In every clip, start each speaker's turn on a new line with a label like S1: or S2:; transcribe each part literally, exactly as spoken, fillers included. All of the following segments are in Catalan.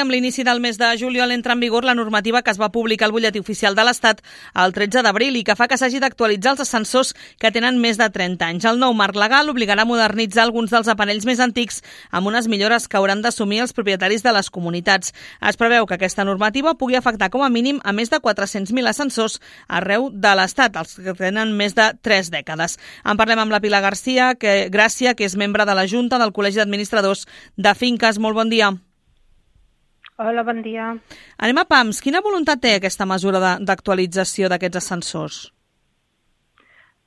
S1: Amb l'inici del mes de juliol entra en vigor la normativa que es va publicar al Butlletí Oficial de l'Estat el tretze d'abril i que fa que s'hagi d'actualitzar els ascensors que tenen més de trenta anys. El nou marc legal obligarà a modernitzar alguns dels aparells més antics amb unes millores que hauran d'assumir els propietaris de les comunitats. Es preveu que aquesta normativa pugui afectar com a mínim a més de quatre-cents mil ascensors arreu de l'Estat, els que tenen més de tres dècades. En parlem amb la Pilar Garcia, que, Gràcia, que és membre de la Junta del Col·legi d'Administradors de Finques. Molt bon dia.
S2: Hola, bon dia.
S1: Anem a pams. Quina voluntat té aquesta mesura d'actualització d'aquests ascensors?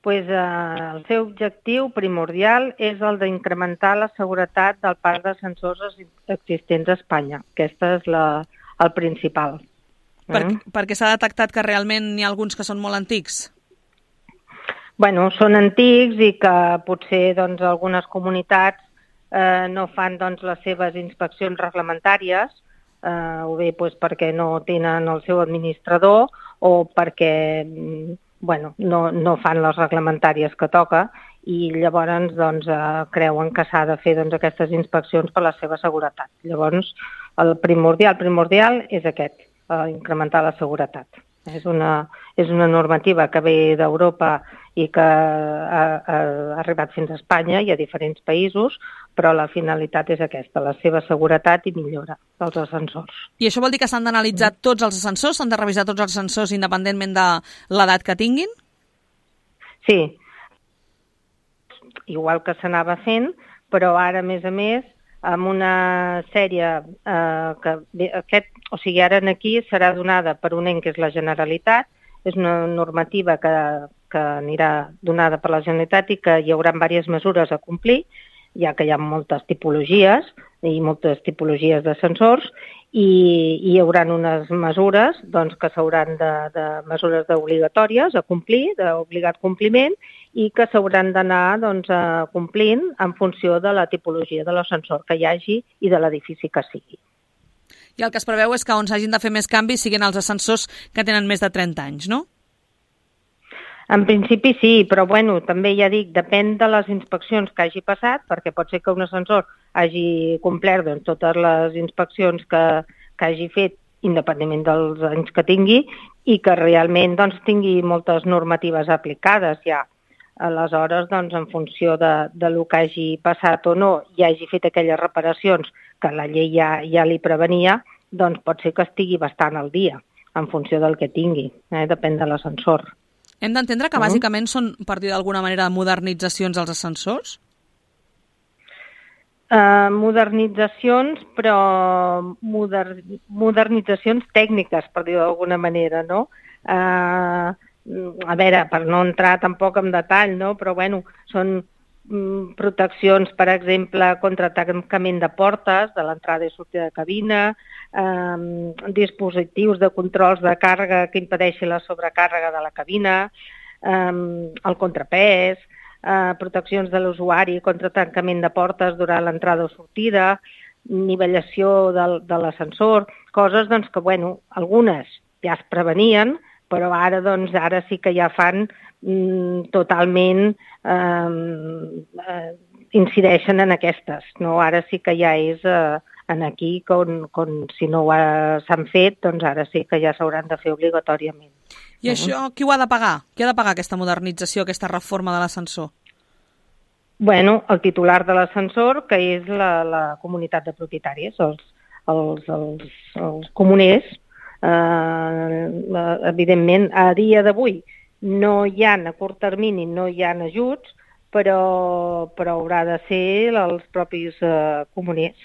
S2: Pues, eh, el seu objectiu primordial és el d'incrementar la seguretat del parc d'ascensors existents a Espanya. Aquesta és la, el principal.
S1: Per, mm? Perquè s'ha detectat que realment n'hi ha alguns que són molt antics?
S2: Bueno, són antics i que potser doncs, algunes comunitats eh, no fan doncs, les seves inspeccions reglamentàries, Uh, o bé pues, perquè no tenen el seu administrador o perquè bueno, no, no fan les reglamentàries que toca i llavors doncs, uh, creuen que s'ha de fer doncs, aquestes inspeccions per la seva seguretat. Llavors, el primordial, primordial és aquest, uh, incrementar la seguretat. És una, és una normativa que ve d'Europa i que ha, ha arribat fins a Espanya i a diferents països, però la finalitat és aquesta, la seva seguretat i millora dels ascensors.
S1: I això vol dir que s'han d'analitzar tots els ascensors? S'han de revisar tots els ascensors independentment de l'edat que tinguin?
S2: Sí. Igual que s'anava fent, però ara, a més a més, amb una sèrie eh, que aquest, o sigui, ara aquí serà donada per un ens que és la Generalitat, és una normativa que, que anirà donada per la Generalitat i que hi haurà diverses mesures a complir, ja que hi ha moltes tipologies i moltes tipologies d'ascensors i, i hi haurà unes mesures doncs, que s'hauran de, de mesures obligatòries a complir, d'obligat compliment, i que s'hauran d'anar doncs, complint en funció de la tipologia de l'ascensor que hi hagi i de l'edifici que sigui.
S1: I el que es preveu és que on s'hagin de fer més canvis siguin els ascensors que tenen més de trenta anys, no?
S2: En principi sí, però bueno, també ja dic, depèn de les inspeccions que hagi passat, perquè pot ser que un ascensor hagi complert doncs, totes les inspeccions que, que hagi fet, independentment dels anys que tingui, i que realment doncs, tingui moltes normatives aplicades ja. Aleshores, doncs, en funció de, de lo que hagi passat o no, i hagi fet aquelles reparacions que la llei ja, ja li prevenia, doncs pot ser que estigui bastant al dia, en funció del que tingui, eh? Depèn de l'ascensor.
S1: Hem d'entendre que bàsicament són, per dir d'alguna manera, modernitzacions als ascensors?
S2: Uh, modernitzacions, però moder... modernitzacions tècniques, per dir d'alguna manera, no? Uh, a veure, per no entrar tampoc en detall, no? Però bueno, són mm, proteccions, per exemple, contra tancament de portes, de l'entrada i sortida de cabina, eh, dispositius de controls de càrrega que impedeixin la sobrecàrrega de la cabina, eh, el contrapès, eh, proteccions de l'usuari contra tancament de portes durant l'entrada o sortida, nivellació del, de l'ascensor, coses doncs, que, bueno, algunes ja es prevenien, però ara, doncs, ara sí que ja fan mm, totalment, eh, eh, incideixen en aquestes. No? Ara sí que ja és eh, en aquí, com, com si no s'han fet, doncs ara sí que ja s'hauran de fer obligatòriament.
S1: I uh-huh. això qui ho ha de pagar? Qui ha de pagar aquesta modernització, aquesta reforma de l'ascensor?
S2: Bueno, el titular de l'ascensor, que és la, la comunitat de propietaris, els, els, els, els comuners. Uh, evidentment, a dia d'avui no hi ha, a curt termini, no hi ha ajuts, però, però haurà de ser els propis uh, comuners.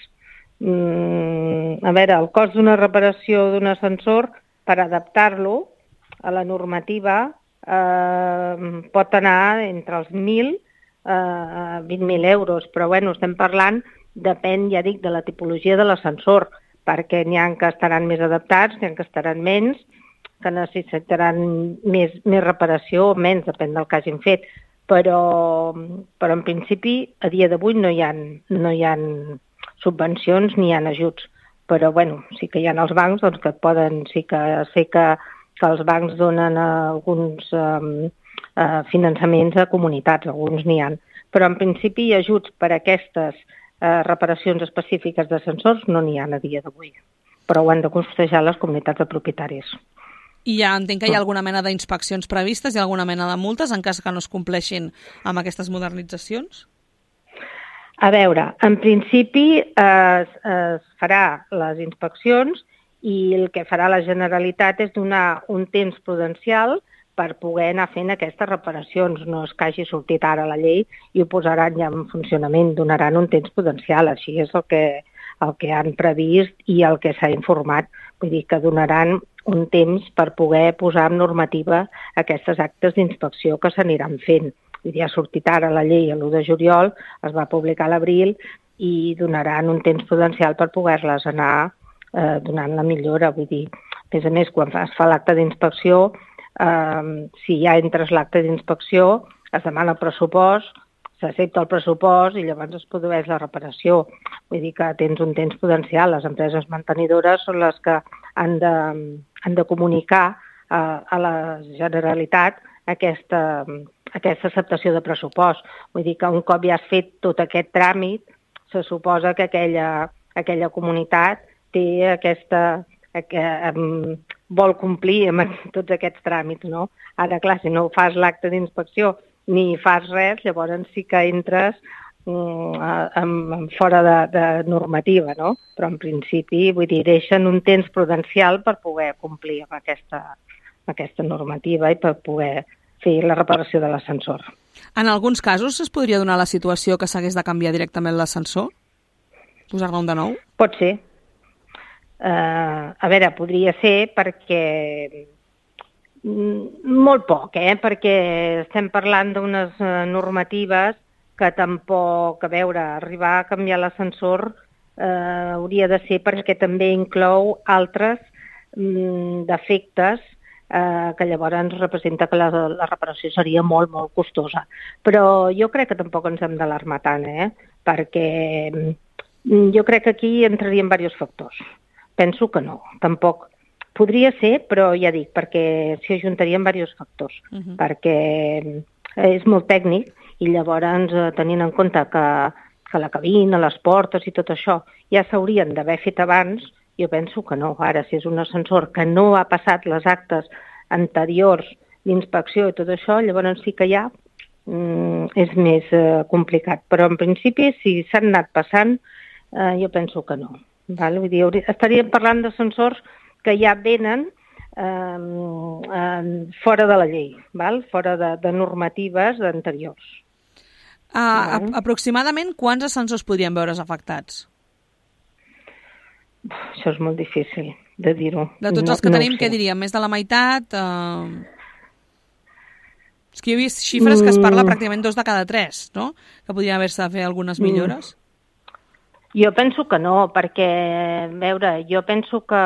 S2: Mm, a veure, el cost d'una reparació d'un ascensor, per adaptar-lo a la normativa, uh, pot anar entre els mil a vint mil euros, però bueno, estem parlant, depèn, ja dic, de la tipologia de l'ascensor, perquè n'hi ha que estaran més adaptats, n'hi ha que estaran menys, que necessitaran més, més reparació o menys, depèn del que hagin fet. Però, però en principi, a dia d'avui no hi ha, no hi ha subvencions ni hi ha ajuts. Però bueno, sí que hi ha els bancs doncs, que poden, sí que sé que, que els bancs donen alguns eh, eh, finançaments a comunitats, alguns n'hi ha. Però en principi ajuts per a aquestes Eh, reparacions específiques d'ascensors no n'hi ha a dia d'avui. però ho han de costejar les comunitats de propietaris.
S1: I ja entenc que hi ha alguna mena d'inspeccions previstes i alguna mena de multes en cas que no es compleixin amb aquestes modernitzacions?
S2: A veure, en principi es, es farà les inspeccions i el que farà la Generalitat és donar un temps prudencial per poder anar fent aquestes reparacions. No és que hagi sortit ara la llei i ho posaran ja en funcionament, donaran un temps prudencial, així és el que, el que han previst i el que s'ha informat. Vull dir que donaran un temps per poder posar en normativa aquestes actes d'inspecció que s'aniran fent. Vull dir, ha sortit ara la llei l'u de juliol, es va publicar a l'abril i donaran un temps prudencial per poder-les anar eh, donant la millora. Vull dir, a més a més, quan es fa l'acte d'inspecció, eh, si ja entres l'acte d'inspecció, es demana el pressupost, s'accepta el pressupost i llavors es produeix la reparació. Vull dir que tens un temps prudencial. Les empreses mantenidores són les que han de, han de comunicar a, a la Generalitat aquesta, aquesta acceptació de pressupost. Vull dir que un cop ja has fet tot aquest tràmit, se suposa que aquella, aquella comunitat té aquesta, que, um, vol complir amb tots aquests tràmits, no? Ara, clar, si no fas l'acte d'inspecció ni fas res, llavors sí que entres um, um, fora de, de normativa, no? Però en principi, vull dir, deixen un temps prudencial per poder complir amb aquesta, amb aquesta normativa i per poder fer la reparació de l'ascensor.
S1: En alguns casos es podria donar la situació que s'hagués de canviar directament l'ascensor? Posar-ne un de nou?
S2: Pot ser. Uh, a veure, podria ser perquè molt poc, eh? Perquè estem parlant d'unes uh, normatives que tampoc, a veure, arribar a canviar l'ascensor uh, hauria de ser perquè també inclou altres um, defectes uh, que llavors representa que la, la reparació seria molt, molt costosa. Però jo crec que tampoc ens hem d'alarmar tant, eh? Perquè um, jo crec que aquí entrarien diversos factors. Penso que no, tampoc. Podria ser, però ja dic, perquè s'hi ajuntarien diversos factors, uh-huh. perquè és molt tècnic i llavors tenint en compte que, que la cabina, les portes i tot això ja s'haurien d'haver fet abans, jo penso que no. Ara, si és un ascensor que no ha passat les actes anteriors d'inspecció i tot això, llavors sí que ja mm, és més eh, complicat. Però en principi, si s'han anat passant, eh, jo penso que no. Val? Vull dir, estaríem parlant d'ascensors que ja venen eh, eh, fora de la llei, val? Fora de, de normatives anteriors.
S1: Uh, aproximadament quants ascensors podrien veure's afectats?
S2: Això és molt difícil de dir-ho.
S1: De tots
S2: no,
S1: els que
S2: no
S1: tenim, què diríem? Més de la meitat? Uh... És que jo he vist xifres que es parla pràcticament dos de cada tres, no? Que podrien haver-se de fer algunes millores.
S2: Mm. Jo penso que no, perquè, a veure, jo penso que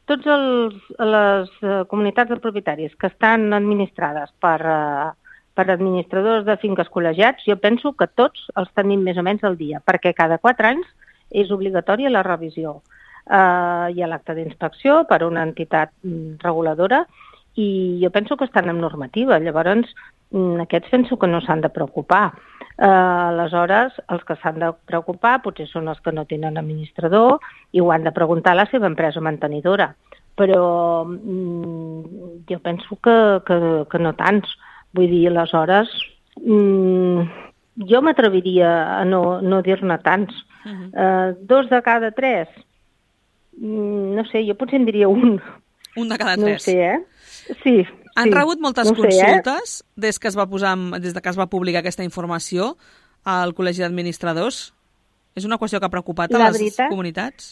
S2: tots els, les comunitats de propietaris que estan administrades per, per administradors de finques col·legiats, jo penso que tots els tenim més o menys al dia, perquè cada quatre anys és obligatòria la revisió. Uh, hi ha l'acte d'inspecció per una entitat reguladora i jo penso que estan en normativa. Llavors, aquests penso que no s'han de preocupar. Uh, aleshores, els que s'han de preocupar potser són els que no tenen administrador i ho han de preguntar a la seva empresa mantenidora. Però mm, jo penso que, que, que no tants. Vull dir, aleshores, mm, jo m'atreviria a no, no dir-ne tants. Uh-huh. Uh, dos de cada tres, mm, no sé, jo potser en diria un.
S1: Un de cada tres?
S2: No sé, eh? Sí.
S1: Han
S2: sí.
S1: rebut moltes
S2: no
S1: consultes
S2: sé, eh?
S1: des que es va posar, des de que es va publicar aquesta informació al Col·legi d'Administradors? És una qüestió que ha preocupat a
S2: la
S1: les
S2: veritat,
S1: comunitats?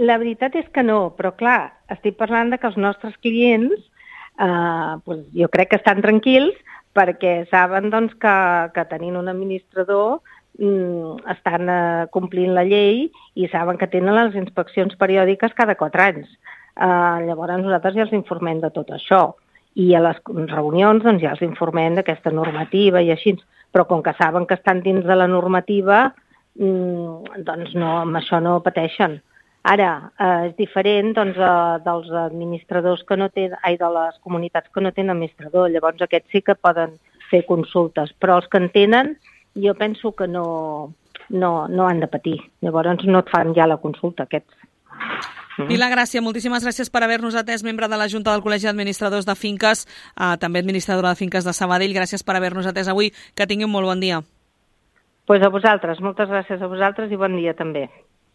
S2: La veritat és que no, però clar, estic parlant de que els nostres clients eh, doncs jo crec que estan tranquils perquè saben doncs, que, que tenint un administrador mm, estan eh, complint la llei i saben que tenen les inspeccions periòdiques cada quatre anys. Uh, llavors nosaltres ja els informem de tot això i a les reunions doncs, ja els informem d'aquesta normativa i així, però com que saben que estan dins de la normativa mm, doncs no, amb això no pateixen. Ara, uh, és diferent doncs, uh, dels administradors que no tenen, ai, de les comunitats que no tenen administrador, llavors aquests sí que poden fer consultes, però els que en tenen jo penso que no, no, no han de patir, llavors no et fan ja la consulta aquests.
S1: Pilar Gràcia, moltíssimes gràcies per haver-nos atès, membre de la Junta del Col·legi d'Administradors de Finques, eh, també administradora de Finques de Sabadell. Gràcies per haver-nos atès avui. Que tingui un molt bon dia.
S2: Pues a vosaltres, moltes gràcies a vosaltres i bon dia també.